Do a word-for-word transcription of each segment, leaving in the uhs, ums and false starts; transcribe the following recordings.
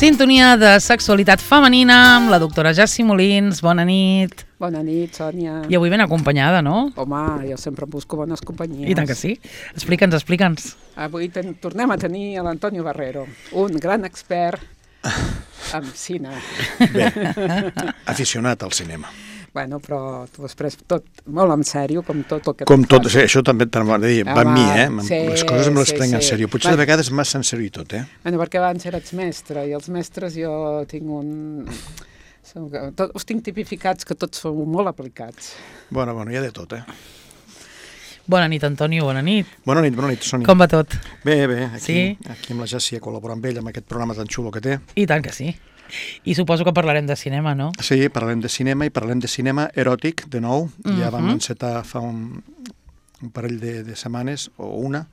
Sintonia de sexualitat femenina amb la doctora Jassi Molins. Bona nit. Bona nit, Sònia. I avui ben acompanyada, no? Home, jo sempre busco bones companyies. I tant que sí. Explica'ns, explica'ns. Avui ten, tornem a tenir a l'Antonio Barrero, un gran expert en cine. Bé, aficionat al cinema. Bueno, però tu has pres tot molt en sèrio, com tot el que Com tot, fas. sí, això també va dir, va amb mi, eh? Sí, les coses me les sí, prenc en sí. sèrio. Potser Va. de vegades massa en sèrio i tot, eh? Bueno, perquè abans eres mestre, i els mestres jo tinc un... Tot, us tinc tipificats que tots sou molt aplicats. Bueno, bueno, hi ha de tot, eh? Bona nit, Antonio, bona nit. Bona nit, bona nit, Sònia. Com va tot? Bé, bé, aquí, Sí? aquí amb la Jassi a col·laborar amb ell, amb aquest programa tan xulo que té. I tant que sí. I suposo que parlarem de cinema, no? Sí, parlem de cinema i parlem de cinema eròtic, de nou. Ja vam Mhm. encetar fa un, un parell de, de setmanes, o una,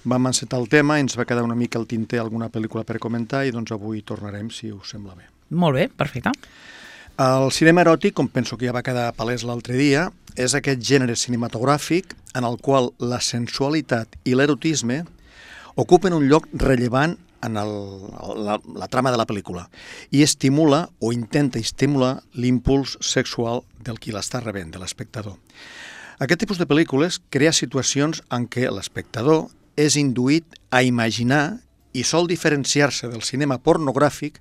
vam encetar el tema, ens va quedar una mica al tinter alguna pel·lícula per comentar i doncs avui tornarem, si us sembla bé. Molt bé, perfecte. El cinema eròtic, com penso que ja va quedar palès l'altre dia, és aquest gènere cinematogràfic en el qual la sensualitat i l'erotisme ocupen un lloc rellevant en el, la, la trama de la pel·lícula i estimula o intenta estimular l'impuls sexual del qui l'està rebent, de l'espectador. Aquest tipus de pel·lícules crea situacions en què l'espectador és induït a imaginar i sol diferenciar-se del cinema pornogràfic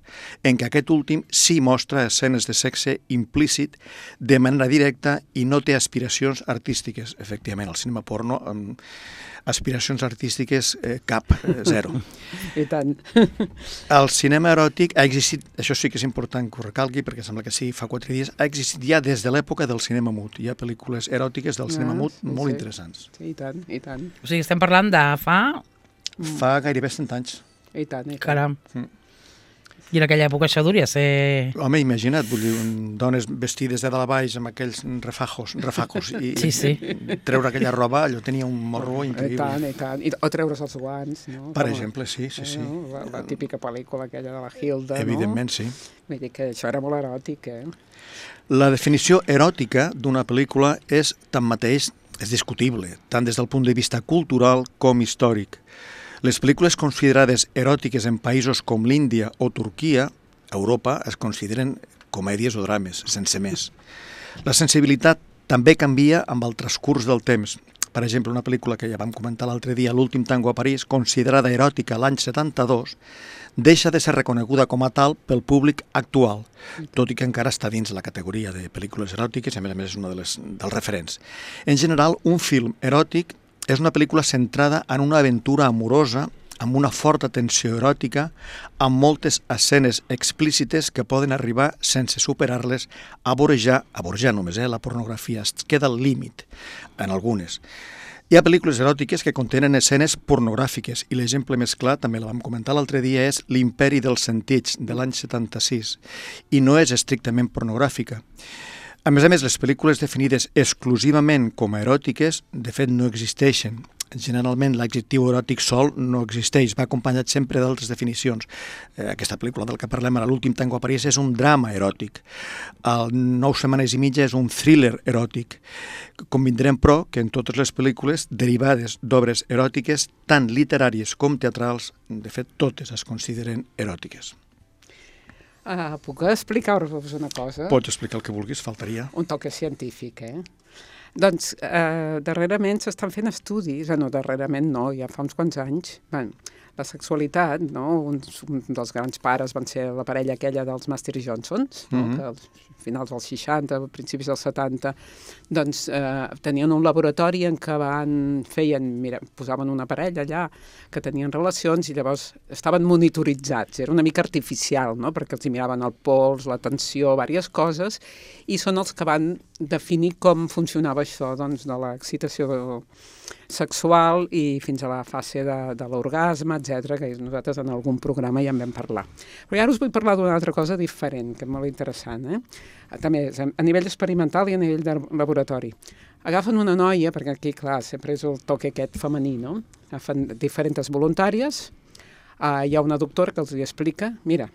en què aquest últim sí mostra escenes de sexe implícit de manera directa i no té aspiracions artístiques. Efectivament, el cinema porno amb aspiracions artístiques eh, cap, eh, zero. I tant. El cinema eròtic ha existit, això sí que és important que ho recalqui perquè sembla que sí, fa quatre dies, ha existit ja des de l'època del cinema mut. Hi ha pel·lícules eròtiques del cinema Ah, mut sí, molt sí. interessants. Sí, i tant, i tant. O sigui, estem parlant de fa... Fa gairebé cent anys. I tant, i tant. Caram. Mm. I en aquella època això duria ser... Home, imagina't, vull dir, un- dones vestides de dalt a baix amb aquells refajos, refacos i Sí, sí. treure aquella roba, allò tenia un morro I increïble. tant, i tant. I, o treure's els guants, no? Per Com a- exemple, sí, sí, sí. No? La, la típica pel·lícula aquella de la Hilda, Evidentment, sí. no? Vull dir que això era molt eròtic, eh? La definició eròtica d'una pel·lícula és, tanmateix, és discutible, tant des del punt de vista cultural com històric. Les pel·lícules considerades eròtiques en països com l'Índia o Turquia, a Europa, es consideren comèdies o drames, sense més. La sensibilitat també canvia amb el transcurs del temps. Per exemple, una pel·lícula que ja vam comentar l'altre dia, L'últim tango a París, considerada eròtica l'any setanta-dos, deixa de ser reconeguda com a tal pel públic actual, tot i que encara està dins la categoria de pel·lícules eròtiques, i a més a més és un de les, dels referents. En general, un film eròtic és una pel·lícula centrada en una aventura amorosa amb una forta tensió eròtica, amb moltes escenes explícites que poden arribar, sense superar-les, a vorejar, a vorejar només, eh? La pornografia es queda al límit en algunes. Hi ha pel·lícules eròtiques que contenen escenes pornogràfiques i l'exemple més clar, també la vam comentar l'altre dia, és L'imperi dels sentits, de l'any setanta-sis, i no és estrictament pornogràfica. A més a més, les pel·lícules definides exclusivament com a eròtiques, de fet, no existeixen. Generalment, l'adjectiu eròtic sol no existeix, va acompanyat sempre d'altres definicions. Eh, aquesta pel·lícula del que parlem ara, L'últim tango a París, és un drama eròtic. El Nou setmanes i mitja és un thriller eròtic. Convindrem, però, que en totes les pel·lícules derivades d'obres eròtiques, tant literàries com teatrals, de fet, totes es consideren eròtiques. Uh, puc explicar-vos una cosa? Pots explicar el que vulguis, faltaria. Un toque científic, eh? Doncs, eh, darrerament s'estan fent estudis, eh, no, darrerament no, ja fa uns quants anys. Bueno, la sexualitat, no? Un, un dels grans pares van ser la parella aquella dels Master i Johnsons, no? Mhm. Que als finals dels seixanta, principis dels setanta, doncs eh, tenien un laboratori en què van, feien, mira, posaven una parella allà que tenien relacions i llavors estaven monitoritzats. Era una mica artificial, no? Perquè els hi miraven el pols, la tensió, diverses coses, i són els que van definir com funcionava això, doncs, de l'excitació sexual i fins a la fase de, de l'orgasme, etcètera, que nosaltres en algun programa ja en vam parlar. Però ara us vull parlar d'una altra cosa diferent, que és molt interessant, eh? També és a nivell experimental i a nivell de laboratori. Agafen una noia, perquè aquí, clar, sempre és el toque aquest femení, no? Agafen diferents voluntàries, uh, hi ha una doctora que els hi explica, mira,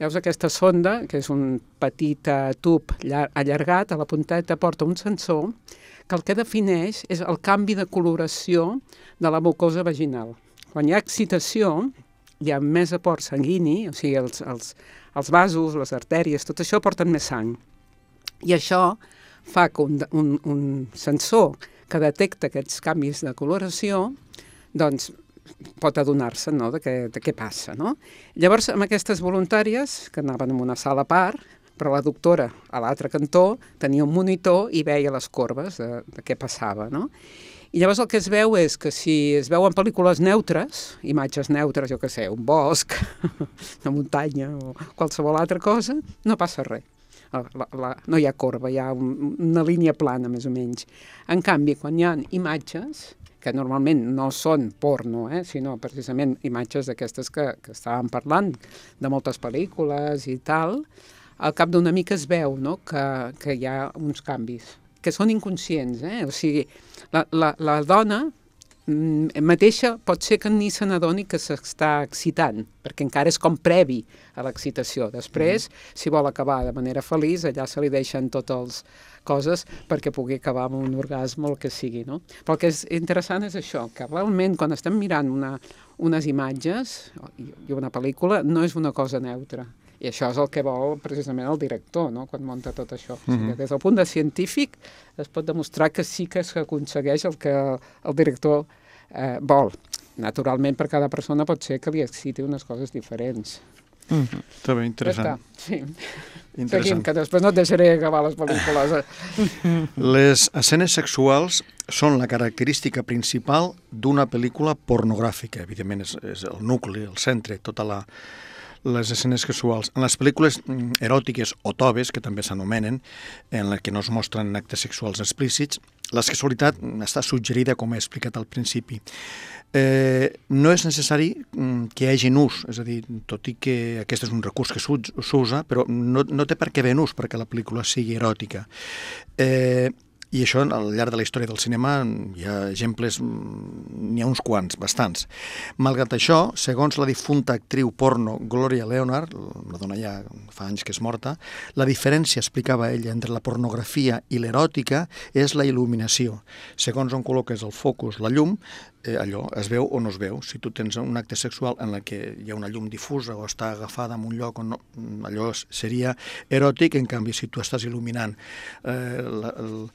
veus aquesta sonda, que és un petit uh, tub allargat, a la punteta porta un sensor, que el que defineix és el canvi de coloració de la mucosa vaginal. Quan hi ha excitació, hi ha més aport sanguini, o sigui, els, els, els vasos, les artèries, tot això porten més sang. I això fa que un, un, un sensor que detecta aquests canvis de coloració, doncs pot adonar-se, no?, de, què, de què passa, no? Llavors, amb aquestes voluntàries, que anaven en una sala a part, però la doctora a l'altre cantó tenia un monitor i veia les corbes de, de què passava, no? I llavors el que es veu és que si es veuen pel·lícules neutres, imatges neutres, jo què sé, un bosc, una muntanya o qualsevol altra cosa, no passa res. La, la, no hi ha corba, hi ha un, una línia plana, més o menys. En canvi, quan hi ha imatges, que normalment no són porno, eh, sinó precisament imatges d'aquestes que, que estàvem parlant, de moltes pel·lícules i tal, al cap d'una mica es veu, no?, que, que hi ha uns canvis, que són inconscients, eh? O sigui, la, la, la dona mm, mateixa pot ser que ni se n'adoni que s'està excitant, perquè encara és com previ a l'excitació. Després, mm. si vol acabar de manera feliç, allà se li deixen totes les coses perquè pugui acabar amb un orgasme o el que sigui, no? Però el que és interessant és això, que realment quan estem mirant una, unes imatges i una pel·lícula no és una cosa neutra. I això és el que vol precisament el director, no?, quan munta tot això. Mm-hmm. O sigui, des del punt de científic es pot demostrar que sí que s'aconsegueix el que el director eh, vol. Naturalment, per cada persona pot ser que li exciti unes coses diferents. Mm-hmm. Està bé, interessant. Ja està, sí. Interessant. Seguim, que després no et deixaré acabar les pel·lícules. Les escenes sexuals són la característica principal d'una pel·lícula pornogràfica. Evidentment, és, és el nucli, el centre, tota la... les escenes sexuals. En les pel·lícules eròtiques o toves, que també s'anomenen, en les que no es mostren actes sexuals explícits, la sexualitat està suggerida, com he explicat al principi. Eh, no és necessari que hi hagi nus, és a dir, tot i que aquest és un recurs que s'usa, però no, no té per què haver nus perquè la pel·lícula sigui eròtica. Eh, I això, al llarg de la història del cinema, hi ha exemples, n'hi ha uns quants, bastants. Malgrat això, segons la difunta actriu porno Gloria Leonard, la dona ja fa anys que és morta, la diferència, explicava ella, entre la pornografia i l'eròtica és la il·luminació. Segons on col·loques el focus, la llum, eh, allò es veu o no es veu. Si tu tens un acte sexual en què hi ha una llum difusa o està agafada en un lloc on no, allò seria eròtic, en canvi, si tu estàs il·luminant eh, la, el,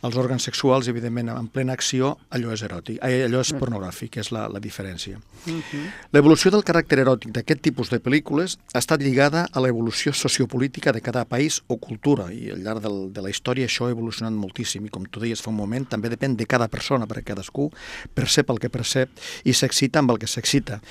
els òrgans sexuals, evidentment, en plena acció, allò és eròtic, allò és pornogràfic, és la, la diferència. Uh-huh. L'evolució del caràcter eròtic d'aquest tipus de pel·lícules ha estat lligada a l'evolució sociopolítica de cada país o cultura, i al llarg del, de la història això ha evolucionat moltíssim, i com tu deies fa un moment, també depèn de cada persona, perquè cadascú percep el que percep i s'excita amb el que s'excita.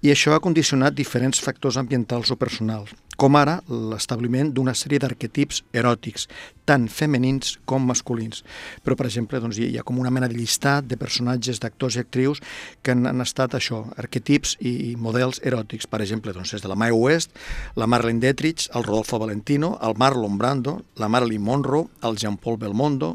I això ha condicionat diferents factors ambientals o personals, com ara l'establiment d'una sèrie d'arquetips eròtics, tant femenins com masculins. Però, per exemple, doncs, hi ha com una mena de llistat de personatges, d'actors i actrius que han, han estat això, arquetips i, i models eròtics. Per exemple, doncs, és de la Mae West, la Marlene Dietrich, el Rodolfo Valentino, el Marlon Brando, la Marilyn Monroe, el Jean-Paul Belmondo,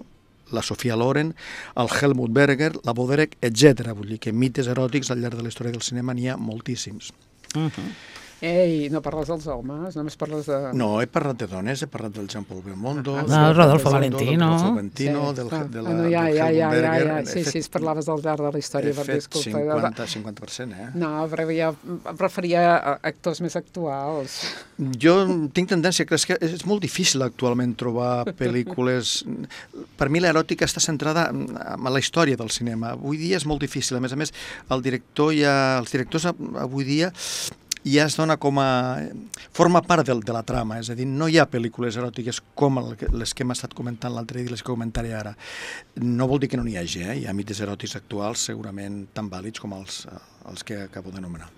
la Sofia Loren, el Helmut Berger, la Boderek, etcètera. Vull dir que mites eròtics al llarg de la història del cinema n'hi ha moltíssims. Uh-huh. Ei, no parles dels homes, només parles de... No, he parlat de dones, he parlat del Jean-Paul Belmondo, ah, del Rodolfo Valentino, del Rodolfo Valentino, sí, del, ah, de la, no, ja, del ja, Helmut ja, Berger. Ja, ja. Sí, fet, sí, parlaves del llarg de la història. He fet disculpa, cinquanta, cinquanta per cent, eh? No, però ja em referia a actors més actuals. Jo tinc tendència, que és, que és molt difícil actualment trobar pel·lícules... Per mi l'eròtica està centrada en la història del cinema. Avui dia és molt difícil. A més a més, el director ja, els directors avui dia ja es dona com a... forma part de, de la trama, és a dir, no hi ha pel·lícules eròtiques com les que hem estat comentant l'altre dia i les que comentaré ara. No vol dir que no n'hi hagi, eh? Hi ha mites eròtics actuals segurament tan vàlids com els, els que acabo d'anomenar.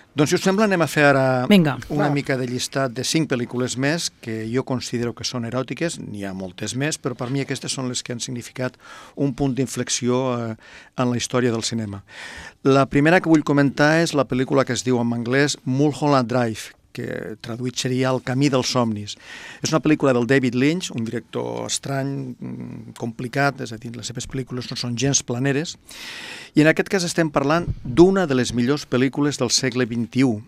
Doncs, si us sembla, anem a fer ara Vinga, una va. mica de llistat de cinc pel·lícules més que jo considero que són eròtiques. N'hi ha moltes més, però per mi aquestes són les que han significat un punt d'inflexió eh, en la història del cinema. La primera que vull comentar és la pel·lícula que es diu en anglès Mulholland Drive, que traduït seria El camí dels somnis. És una pel·lícula del David Lynch, un director estrany, complicat, és a dir, les seves pel·lícules no són gens planeres, i en aquest cas estem parlant d'una de les millors pel·lícules del segle vint-i-u,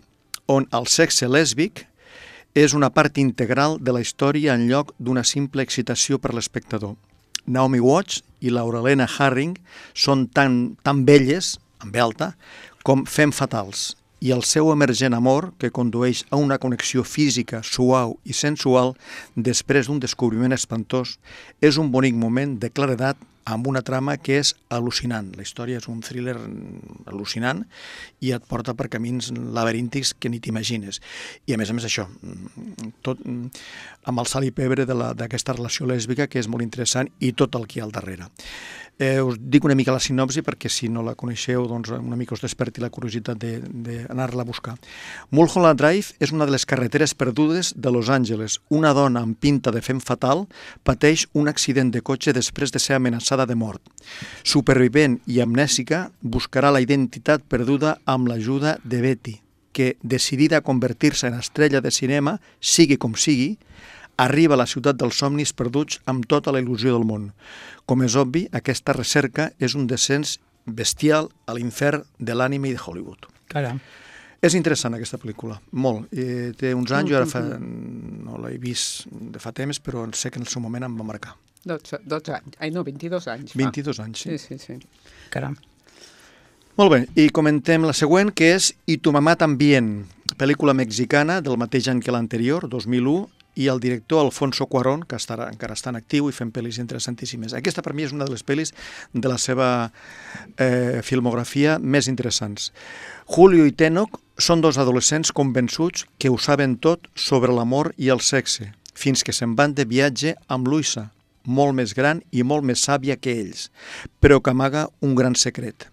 on el sexe lèsbic és una part integral de la història en lloc d'una simple excitació per l'espectador. Naomi Watts i Laurelena Harring són tan, tan belles, amb alta, com femme fatals. i el seu emergent amor, que condueix a una connexió física, suau i sensual després d'un descobriment espantós, és un bonic moment de claredat amb una trama que és al·lucinant. La història és un thriller al·lucinant i et porta per camins laberíntics que ni t'imagines. I a més a més això, tot amb el sal i pebre d'aquesta relació lèsbica, que és molt interessant, i tot el que hi ha al darrere. Eh, us dic una mica la sinopsi perquè si no la coneixeu doncs una mica us desperti la curiositat d'anar-la a buscar. Mulholland Drive és una de les carreteres perdudes de Los Angeles. Una dona amb pinta de fem fatal pateix un accident de cotxe després de ser amenaçada de mort. Supervivent i amnèsica, buscarà la identitat perduda amb l'ajuda de Betty, que, decidida a convertir-se en estrella de cinema, sigui com sigui, arriba a la ciutat dels somnis perduts amb tota la il·lusió del món. Com és obvi, aquesta recerca és un descens bestial a l'infern de l'ànime i de Hollywood. Caram. És interessant aquesta pel·lícula, molt. Eh, té uns anys, jo ara fa, no l'he vist de fa temps, però sé que en el seu moment em va marcar. dotze, dotze anys, ai no, vint-i-dos anys. vint-i-dos anys, sí. Sí, sí, sí. Caram. Molt bé, i comentem la següent, que és I tu mamà también, pel·lícula mexicana del mateix any que l'anterior, dos mil u, i el director Alfonso Cuarón, que estarà, encara està en actiu i fent pel·lis interessantíssimes. Aquesta per mi és una de les pel·lis de la seva eh, filmografia més interessants. Julio i Tenoch són dos adolescents convençuts que ho saben tot sobre l'amor i el sexe, fins que se'n van de viatge amb Luisa, molt més gran i molt més sàvia que ells, però que amaga un gran secret.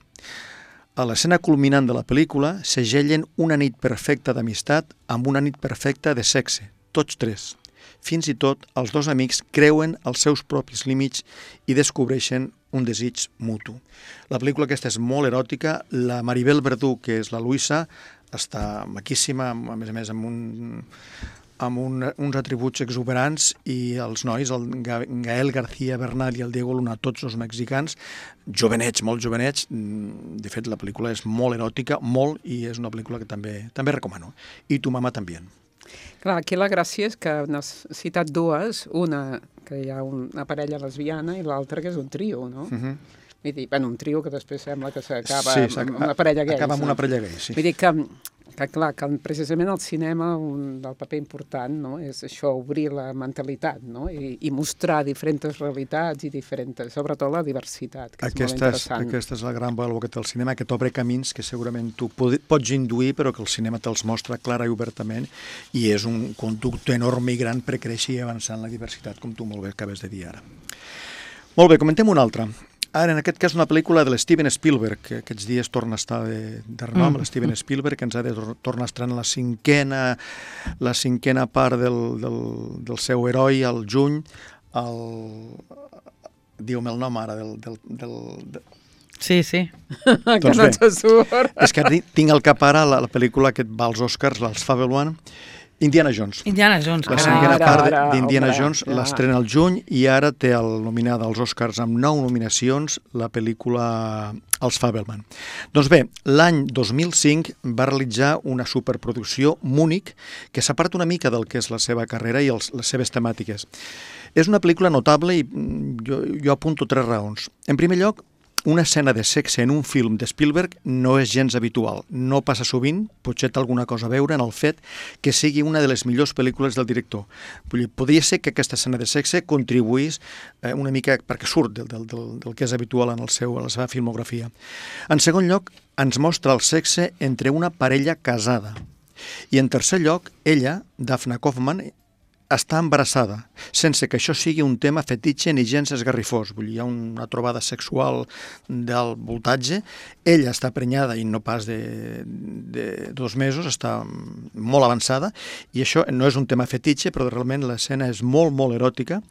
A l'escena culminant de la pel·lícula segellen una nit perfecta d'amistat amb una nit perfecta de sexe, tots tres. Fins i tot els dos amics creuen els seus propis límits i descobreixen un desig mutu. La pel·lícula aquesta és molt eròtica. La Maribel Verdú, que és la Luisa, està maquíssima, a més a més amb, un, amb un, uns atributs exuberants, i els nois, el Gael García Bernal i el Diego Luna, tots els mexicans, jovenets, molt jovenets. De fet, la pel·lícula és molt eròtica, molt, i és una pel·lícula que també, també recomano. I tu mamà també. Clar, aquí la gràcia és que n'has citat dues, una que hi ha una parella lesbiana i l'altra que és un trio, no? Uh -huh. Vull dir, bueno, un trio que després sembla que s'acaba sí, amb una parella gais. Acaba amb una no? parella gais, sí. Vull dir que, que clar, que precisament el cinema un del paper important, no? És això, obrir la mentalitat, no? I, i mostrar diferents realitats i diferents, sobretot la diversitat, que aquesta és molt interessant. És, aquesta és la gran valor que té el cinema, que t'obre camins que segurament tu pots induir, però que el cinema te'ls mostra clara i obertament, i és un conducte enorme i gran per créixer i avançar en la diversitat, com tu molt bé acabes de dir ara. Molt bé, comentem una altra. Ara, en aquest cas, una pel·lícula de l'Steven Spielberg, que aquests dies torna a estar de, de renom, mm. l'Steven Spielberg, que ens ha de tornar a estrenar la cinquena, la cinquena part del, del, del seu heroi, al juny, el... diu-me el nom ara, del... del, del, del... Sí, sí. Que doncs no te surt. És que tinc al cap ara la, la pel·lícula que va als Oscars, l'Els Fabelman, Indiana Jones. Indiana Jones. La carai. cinquena Ara, part ara, d'Indiana home, Jones ja. l'estrena al juny, i ara té el nominada als Oscars amb nou nominacions la pel·lícula Els Fabelman. Doncs bé, l'any dos mil cinc va realitzar una superproducció, Múnich, que s'aparta una mica del que és la seva carrera i els, les seves temàtiques. És una pel·lícula notable i jo, jo apunto tres raons. En primer lloc, una escena de sexe en un film de Spielberg no és gens habitual. No passa sovint, potser té alguna cosa a veure en el fet que sigui una de les millors pel·lícules del director. Podria ser que aquesta escena de sexe contribuís eh, una mica perquè surt del, del, del, del que és habitual en, el seu, en la seva filmografia. En segon lloc, ens mostra el sexe entre una parella casada. I en tercer lloc, ella, Daphne Kaufman, està embarassada, sense que això sigui un tema fetitxe ni gens esgarrifós. Vull dir, hi ha una trobada sexual del voltatge. Ella està prenyada i no pas de, de dos mesos, està molt avançada, i això no és un tema fetitxe, però realment l'escena és molt, molt eròtica.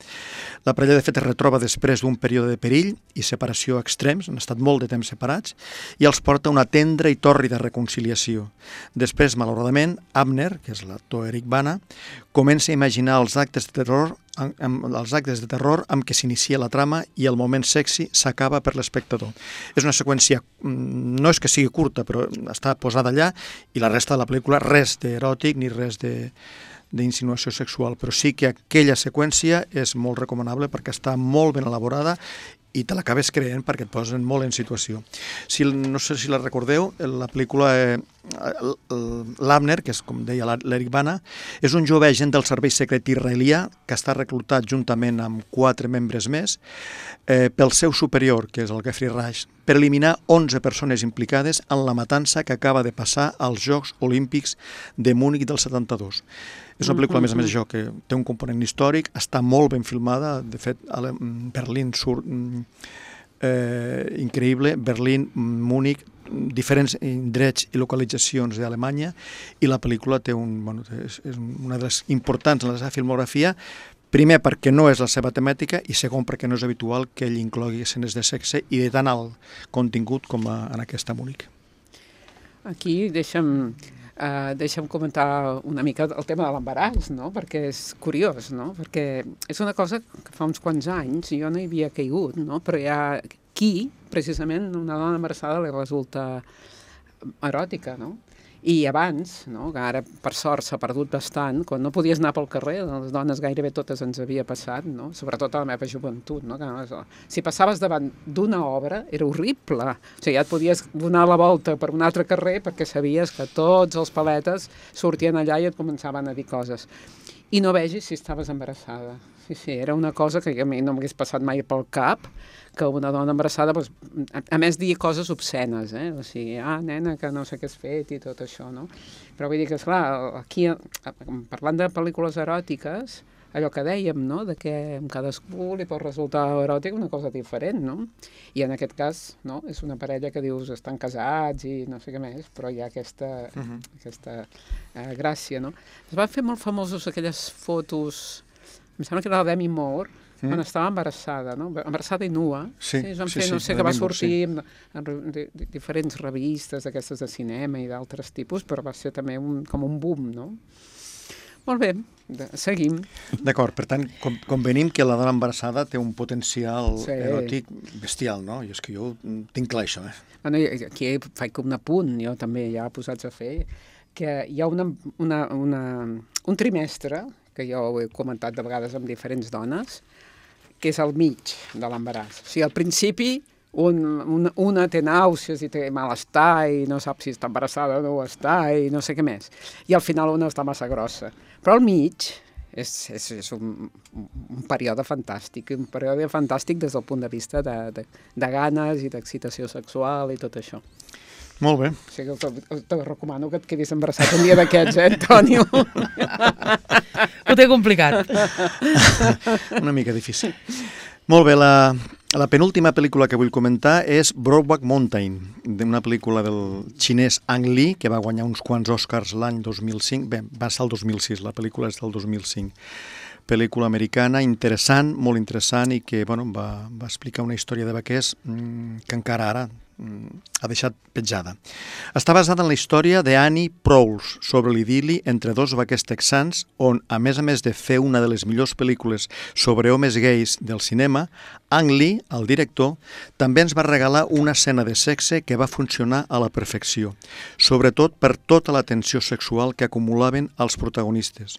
La parella, de fet, es retroba després d'un període de perill i separació extrems, han estat molt de temps separats, i els porta una tendra i tòrrida reconciliació. Després, malauradament, Abner, que és l'actor Eric Bana, comença a imaginar els actes de terror, amb, els actes de terror amb què s'inicia la trama, i el moment sexy s'acaba per l'espectador. És una seqüència, no és que sigui curta, però està posada allà, i la resta de la pel·lícula res d'eròtic ni res de, d'insinuació sexual, però sí que aquella seqüència és molt recomanable perquè està molt ben elaborada i te l'acabes creient perquè et posen molt en situació. Si, no sé si la recordeu, la pel·lícula eh, l'Abner, que és com deia l'Eric Bana, és un jove agent del servei secret israelià que està reclutat juntament amb quatre membres més eh, pel seu superior, que és el Geoffrey Rush, per eliminar onze persones implicades en la matança que acaba de passar als Jocs Olímpics de Múnich del setanta-dos. És una pel·lícula, a més a més, això, que té un component històric, està molt ben filmada, de fet, a Berlín surt eh, increïble, Berlín, Múnich, diferents indrets i localitzacions d'Alemanya, i la pel·lícula té un, bueno, és, és una de les importants en la seva filmografia, primer perquè no és la seva temàtica i segon perquè no és habitual que ell inclogui escenes de sexe i de tan alt contingut com a, en aquesta Múnich. Aquí deixa'm... Uh, deixa'm comentar una mica el tema de l'embaràs, no? Perquè és curiós, no? Perquè és una cosa que fa uns quants anys jo no hi havia caigut, no? Però hi ha qui, precisament, una dona embarassada li resulta eròtica, no? I abans, no? Que ara per sort s'ha perdut bastant, quan no podies anar pel carrer, les dones gairebé totes ens havia passat, no? Sobretot a la meva joventut, no? Que, si passaves davant d'una obra era horrible, o sigui, ja et podies donar la volta per un altre carrer perquè sabies que tots els paletes sortien allà i et començaven a dir coses. I no vegis si estaves embarassada. Sí, sí, era una cosa que a mi no m'hagués passat mai pel cap, que una dona embarassada, doncs, a, a més, dir coses obscenes, eh? O sigui, ah, nena, que no sé què has fet i tot això, no? Però vull dir que, esclar, aquí, parlant de pel·lícules eròtiques, allò que dèiem, no?, de que a cadascú li pot resultar eròtic una cosa diferent, no? I en aquest cas, no?, és una parella que dius estan casats i no sé què més, però hi ha aquesta, uh-huh. aquesta eh, gràcia, no? Es van fer molt famosos aquelles fotos, em sembla que era la Demi Moore, mm. quan estava embarassada, no? Embarassada i nua. Sí, sí, es van sí, fer, sí, no sé, que va sortir sí. en, en de, de, diferents revistes d'aquestes de cinema i d'altres tipus, però va ser també un, com un boom, no? Molt bé, de, seguim. D'acord, per tant, com, convenim que la dona embarassada té un potencial sí. eròtic bestial, no? I és que jo tinc clar això, eh? Bueno, aquí faig un apunt, jo també ja posats a fer, que hi ha una, una, una, un trimestre, que jo ho he comentat de vegades amb diferents dones, que és al mig de l'embaràs. O sigui, al principi un, una, una té nàusees i té malestar i no sap si està embarassada o no ho està i no sé què més. I al final una està massa grossa. Però al mig és, és, és un, un període fantàstic, un període fantàstic des del punt de vista de, de, de ganes i d'excitació sexual i tot això. Molt bé. O sigui, te, te recomano que et quedis embarassat un dia d'aquests, eh, Antonio? Ho té complicat. Una mica difícil. Molt bé, la, la penúltima pel·lícula que vull comentar és Brokeback Mountain, una pel·lícula del xinès Ang Lee, que va guanyar uns quants Oscars l'any dos mil cinc. Bé, va ser el dos mil sis, la pel·lícula és del dos mil cinc. Pel·lícula americana interessant, molt interessant, i que bueno, va, va explicar una història de vaquers mmm, que encara ara ha deixat petjada. Està basada en la història d'Annie Proulx sobre l'idili entre dos vaquers texans on, a més a més de fer una de les millors pel·lícules sobre homes gais del cinema, Ang Lee, el director, també ens va regalar una escena de sexe que va funcionar a la perfecció, sobretot per tota la tensió sexual que acumulaven els protagonistes.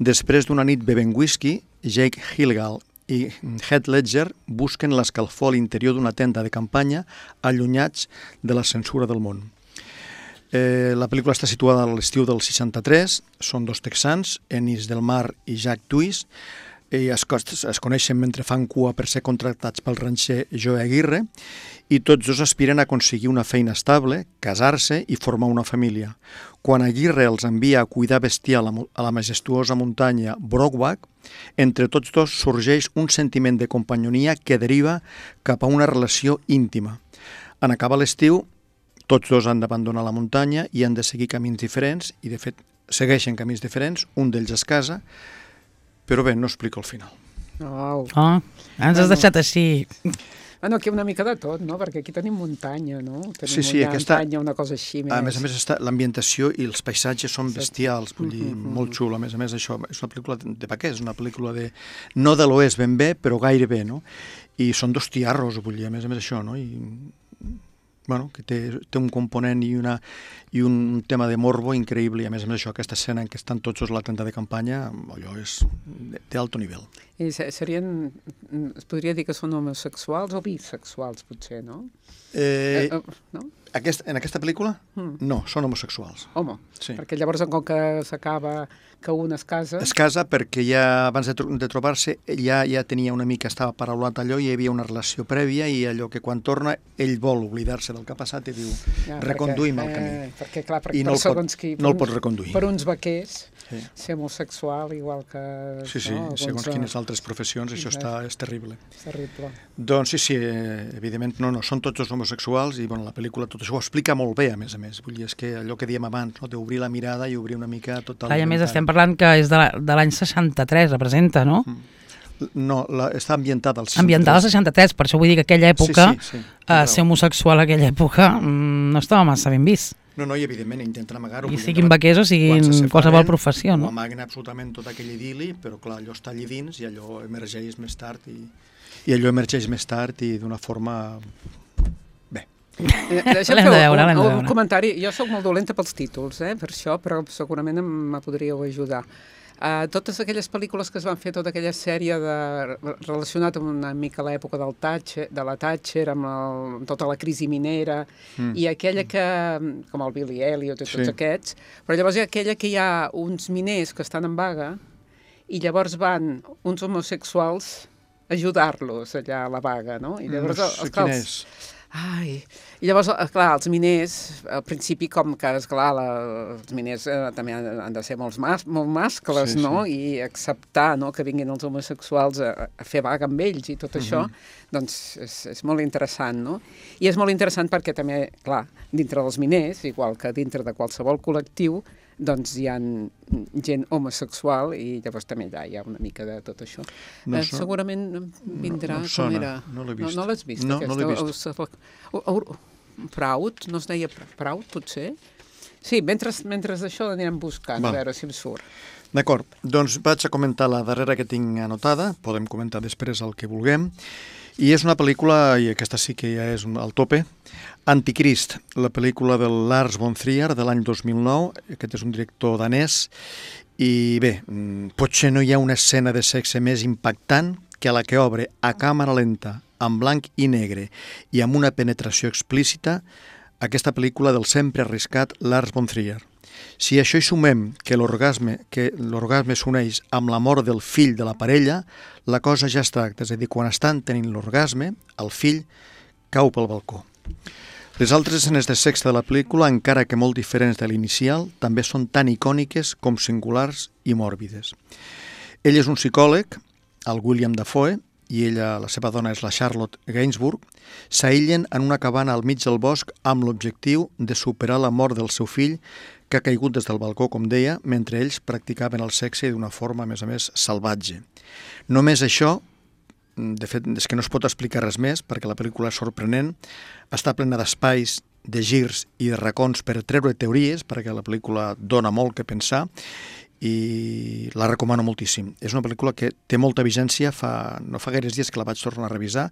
Després d'una nit bevent whisky, Jake Gyllenhaal i Heath Ledger busquen l'escalfor a l'interior d'una tenda de campanya allunyats de la censura del món. Eh, la pel·lícula està situada a l'estiu del seixanta-tres, són dos texans, Ennis Del Mar i Jack Twist, i es, es coneixen mentre fan cua per ser contractats pel ranxer Joe Aguirre, i tots dos aspiren a aconseguir una feina estable, casar-se i formar una família. Quan Aguirre els envia a cuidar bestiar a la majestuosa muntanya Brokeback, entre tots dos sorgeix un sentiment de companyonia que deriva cap a una relació íntima. En acabar l'estiu, tots dos han d'abandonar la muntanya i han de seguir camins diferents, i de fet segueixen camins diferents, un d'ells es casa, però bé, no explico el final. Oh, oh ens has deixat així. Bueno, aquí una mica de tot, no? Perquè aquí tenim muntanya, no? Tenim sí, sí, una aquesta, muntanya, una cosa així més. A més a més, l'ambientació i els paisatges són bestials, vull dir, Mm-hmm. molt xulo. A més a més, això és una pel·lícula de vaquers, una pel·lícula de... no de l'oest ben bé, però gairebé, no? I són dos tiarros, vull dir, a més a més això, no? I bueno, que té, té un component i, una, i un tema de morbo increïble, i a més a més això, aquesta escena en què estan tots a la tenda de campanya, allò és d'alto nivell. I serien, es podria dir que són homosexuals o bisexuals, potser, no? Eh, eh, no? Aquest, en aquesta pel·lícula? Mm. No, són homosexuals. Home, sí. Perquè llavors, com que s'acaba que un es casa... Es casa perquè ja, abans de, tro de trobar-se, ja, ja tenia una mica, estava paraulat allò, i hi havia una relació prèvia, i allò que quan torna, ell vol oblidar-se del que ha passat i diu, ja, reconduïm el camí. Eh, perquè, clar, per, I per no el segons pot, qui... No el pot reconduir. Per uns vaquers, sí. Ser homosexual, igual que... Sí, sí, no, segons alguns... quines altres professions, això està, és terrible. És terrible. Doncs sí, sí, evidentment, no, no, són tots els homosexuals, i bueno, la pel·lícula tot això ho explica molt bé, a més a més. Vull dir, és que allò que dèiem abans, no? D'obrir la mirada i obrir una mica tot el... Clar, i a més estem parlant que és de l'any seixanta-tres, representa, no? No, la, està ambientada al seixanta-tres. Ambientada al seixanta-tres, per això vull dir que aquella època, sí, sí, sí, uh, ser homosexual a aquella època mm, no estava massa ben vist. No, no, i evidentment intenten amagar-ho. I siguin vaquers o siguin qualsevol professió, no? Ho amaguen absolutament tot aquell idili, però clar, allò està allà dins i allò emergeix més tard i, i allò emergeix més tard i d'una forma... Bé. Eh, Deixa'm fer veure, un, un, un comentari. Jo sóc molt dolenta pels títols, eh, per això, però segurament me podríeu ajudar. Uh, totes aquelles pel·lícules que es van fer, tota aquella sèrie de, relacionat amb una mica l'època del Thatcher, de la Thatcher, amb, el, amb tota la crisi minera, mm. i aquella que, com el Billy Elliot i tots sí. Aquests, però llavors hi ha aquella que hi ha uns miners que estan en vaga i llavors van uns homosexuals a ajudar-los allà a la vaga, no? I llavors, no sé els, quin és. Ai, i llavors, clar, els miners, al principi, com que, esclar, la, els miners eh, també han, han de ser molts mas, molt mascles, sí, no? Sí. I acceptar, no?, que vinguin els homosexuals a, a fer vaga amb ells i tot uh-huh. això, doncs és, és molt interessant, no? I és molt interessant perquè també, clar, dintre dels miners, igual que dintre de qualsevol col·lectiu, doncs hi ha gent homosexual i llavors també allà hi ha una mica de tot això. No eh, so... Segurament vindrà no, no com era... No l'he vist. No, no l'has vist, no, aquesta? No l'he vist. O, o, o, Proud? No es deia Proud, potser? Sí, mentre, mentre això l'anirem buscant, Va. A veure si em surt. D'acord, doncs vaig a comentar la darrera que tinc anotada, podem comentar després el que vulguem, i és una pel·lícula, i aquesta sí que ja és al tope, Anticrist, la pel·lícula de Lars von Trier de l'any dos mil nou, aquest és un director danès, i bé, potser no hi ha una escena de sexe més impactant que la que obre a càmera lenta, en blanc i negre, i amb una penetració explícita, aquesta pel·lícula del sempre arriscat Lars von Trier. Si a això hi sumem que l'orgasme que l'orgasme s'uneix amb la mort del fill de la parella, la cosa ja es tracta, és a dir, quan estan tenint l'orgasme, el fill cau pel balcó. Les altres escenes de sexe de la pel·lícula, encara que molt diferents de l'inicial, també són tan icòniques com singulars i mòrbides. Ell és un psicòleg, el William Dafoe, i ella, la seva dona és la Charlotte Gainsbourg, s'aïllen en una cabana al mig del bosc amb l'objectiu de superar la mort del seu fill, que ha caigut des del balcó, com deia, mentre ells practicaven el sexe d'una forma, a més a més, salvatge. Només això, de fet, és que no es pot explicar res més, perquè la pel·lícula és sorprenent, està plena d'espais, de girs i de racons per treure teories, perquè la pel·lícula dona molt que pensar, i la recomano moltíssim. És una pel·lícula que té molta vigència, fa, no fa gaires dies que la vaig tornar a revisar,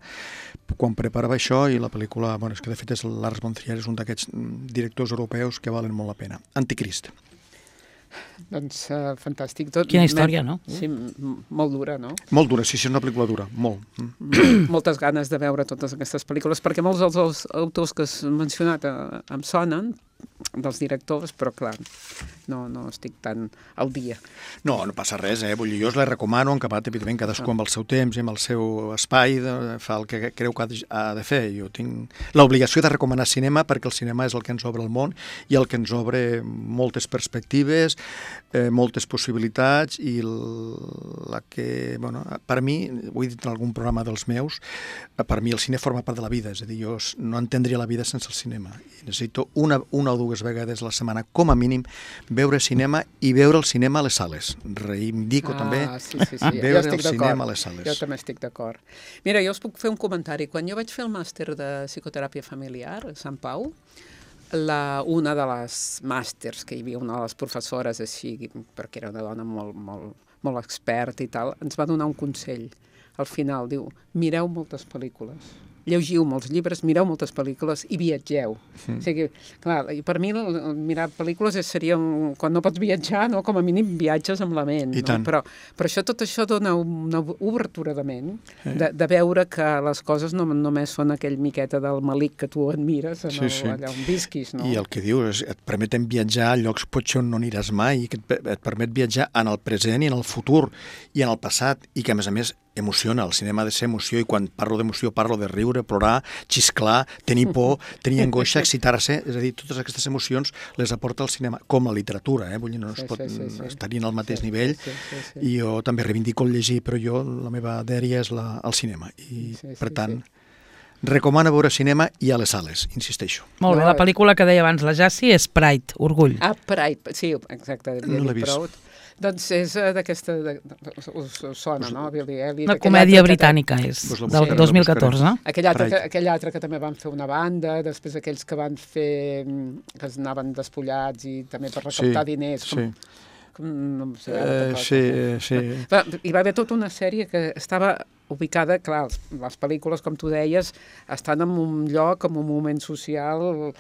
quan preparava això, i la pel·lícula, bueno, és que de fet és Lars von Trier, és un d'aquests directors europeus que valen molt la pena. Anticrist. Doncs uh, fantàstic. Tot, Quina història, no? Sí, molt dura, no? Molt dura, sí, sí, és una pel·lícula dura, molt. Moltes ganes de veure totes aquestes pel·lícules, perquè molts dels autors que has mencionat uh, em sonen, dels directors, però clar, no, no estic tan al dia. No, no passa res, eh? Vull dir, jo us la recomano, en acabat, evidentment, cadascú amb el seu temps i amb el seu espai, de, fa el que creu que ha de fer. Jo tinc l'obligació de recomanar cinema perquè el cinema és el que ens obre el món i el que ens obre moltes perspectives, eh, moltes possibilitats i la que, bueno, per mi, ho he dit en algun programa dels meus, per mi el cine forma part de la vida, és a dir, jo no entendria la vida sense el cinema. I necessito una, una o dues vegades a la setmana, com a mínim, veure cinema i veure el cinema a les sales. Reivindico ah, també sí, sí, sí. veure el cinema a les sales. Jo també estic d'acord. Mira, jo us puc fer un comentari. Quan jo vaig fer el màster de psicoteràpia familiar a Sant Pau, la, una de les màsters, que hi havia una de les professores així, perquè era una dona molt, molt, molt experta i tal, ens va donar un consell. Al final diu, mireu moltes pel·lícules. llegiu molts llibres, mireu moltes pel·lícules i viatgeu. Mm. O sigui, clar, i per mi mirar pel·lícules seria, un, quan no pots viatjar, no? Com a mínim viatges amb la ment. I no? tant. Però, però això, tot això dona una obertura de ment, sí. de, de veure que les coses no només són aquell miqueta del malic que tu admires en el, sí, sí. allà on visquis. No? I el que dius, et permeten viatjar a llocs potser on no aniràs mai, i que et, et permet viatjar en el present i en el futur i en el passat, i que a més a més emociona. El cinema ha de ser emoció, i quan parlo d'emoció parlo de riure, plorar, xisclar, tenir por, tenir angoixa, excitar-se, és a dir, totes aquestes emocions les aporta el cinema, com la literatura, eh? Vull dir, no es sí, pot sí, sí, sí. estar-hi en el mateix sí, nivell, sí, sí, sí. i jo també reivindico el llegir, però jo, la meva dèria és la, el cinema, i sí, sí, per tant, sí. recomano veure cinema i a les sales, insisteixo. Molt bé, la pel·lícula que deia abans la Jassi és Pride, Orgull. Ah, Pride, sí, exacte. No l'he vist. Proud. Doncs és uh, d'aquesta... Us, us sona, no? Billy Elliot. Una comèdia britànica és, pues del sí. dos mil catorze. Aquell altre, que, aquell altre que també van fer una banda, després aquells que van fer... que es anaven despullats i també per recaptar sí, diners. Com, sí. com, no sé, Uh, sí, sí. Va, hi va haver tota una sèrie que estava ubicada, clar, les, les pel·lícules, com tu deies, estan en un lloc, en un moment social...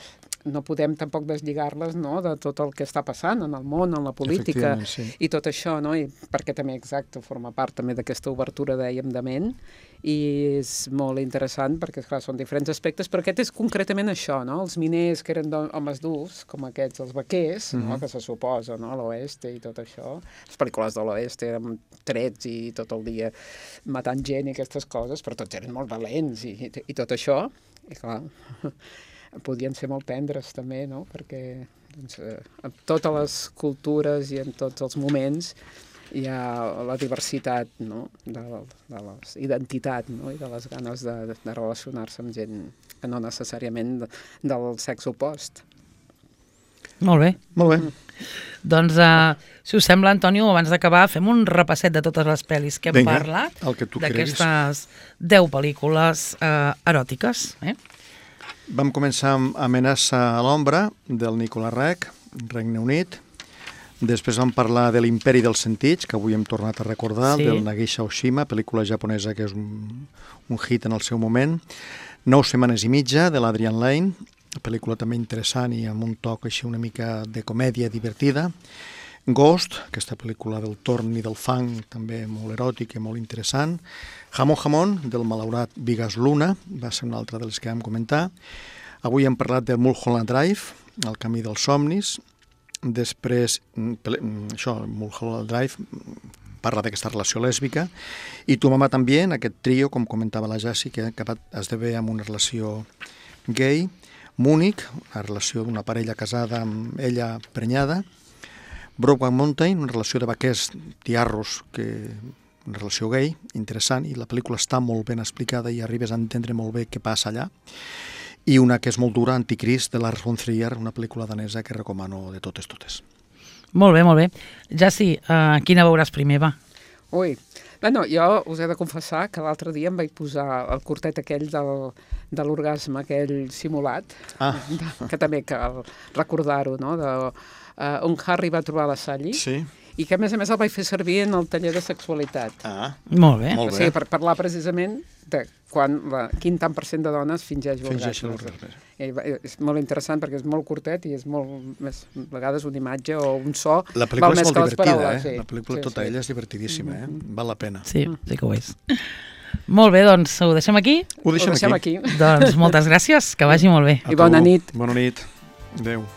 no podem tampoc deslligar-les, no?, de tot el que està passant en el món, en la política, sí. i tot això, no?, i perquè també, exacte, forma part també d'aquesta obertura, dèiem, de ment, i és molt interessant perquè, clar, són diferents aspectes, però aquest és concretament això, no?, els miners que eren homes durs, com aquests, els vaquers, mm-hmm. no?, que se suposa, no?, l'oeste i tot això, les pel·lícules de l'oeste eren trets i tot el dia matant gent i aquestes coses, però tots eren molt valents i, i, i tot això, i clar... podien ser molt tendres també, no? Perquè doncs, eh, en totes les cultures i en tots els moments hi ha la diversitat, no? de, de la identitat, no? I de les ganes de, de relacionar-se amb gent que no necessàriament de, del sexe opost. Molt bé. Molt bé. Mm. Doncs, uh, si us sembla, Antonio, abans d'acabar, fem un repasset de totes les pel·lis que hem Vinga, parlat, el que tu d'aquestes deu pel·lícules uh, eròtiques, eh? Vam començar amb Amenaça a l'ombra, del Nicolas Roeg, Regne Unit. Després vam parlar de l'Imperi dels sentits, que avui hem tornat a recordar, sí. del Nagisa Oshima, pel·lícula japonesa que és un, un hit en el seu moment. Nou setmanes i mitja, de l'Adrian Lane, pel·lícula també interessant i amb un toc així una mica de comèdia divertida. Ghost, aquesta pel·lícula del torn i del fang, també molt eròtic i molt interessant. Jamón Jamón, del malaurat Vigas Luna, va ser una altra de les que vam comentar. Avui hem parlat de Mulholland Drive, El camí dels somnis. Després, això, Mulholland Drive, parla d'aquesta relació lèsbica. I Tu mamà també, en aquest trio, com comentava la Jassi, que ha esdevé amb una relació gay. Múnich, una relació d'una parella casada amb ella prenyada. Brokeback Mountain, una relació de vaquers tiarros, que, una relació gay, interessant, i la pel·lícula està molt ben explicada i arribes a entendre molt bé què passa allà. I una que és molt dura, Anticrist, de Lars von Trier, una pel·lícula danesa que recomano de totes, totes. Molt bé, molt bé. Jassi, uh, quina veuràs primer, va? Ui, bueno, jo us he de confessar que l'altre dia em vaig posar el curtet aquell del, de l'orgasme, aquell simulat, ah. de, que també cal recordar-ho, no?, de, uh, on Harry va trobar la Sally, sí. i que a més a més el vaig fer servir en el taller de sexualitat. Ah, molt bé. Molt bé. O sigui, per parlar precisament de quan la, quin tant per cent de dones fingeix l'orgasme. És molt interessant perquè és molt curtet i és molt, més, a vegades una imatge o un so la pel·lícula val és més molt que les divertida, paraules. eh? Sí. La pel·lícula sí, tota sí. ella és divertidíssima, eh? Val la pena. Sí, sí que ho és. Molt bé, doncs ho deixem aquí? Ho deixem, ho deixem aquí. aquí. Doncs moltes gràcies, que vagi molt bé. A I bona tu. nit. Bona nit. Adéu.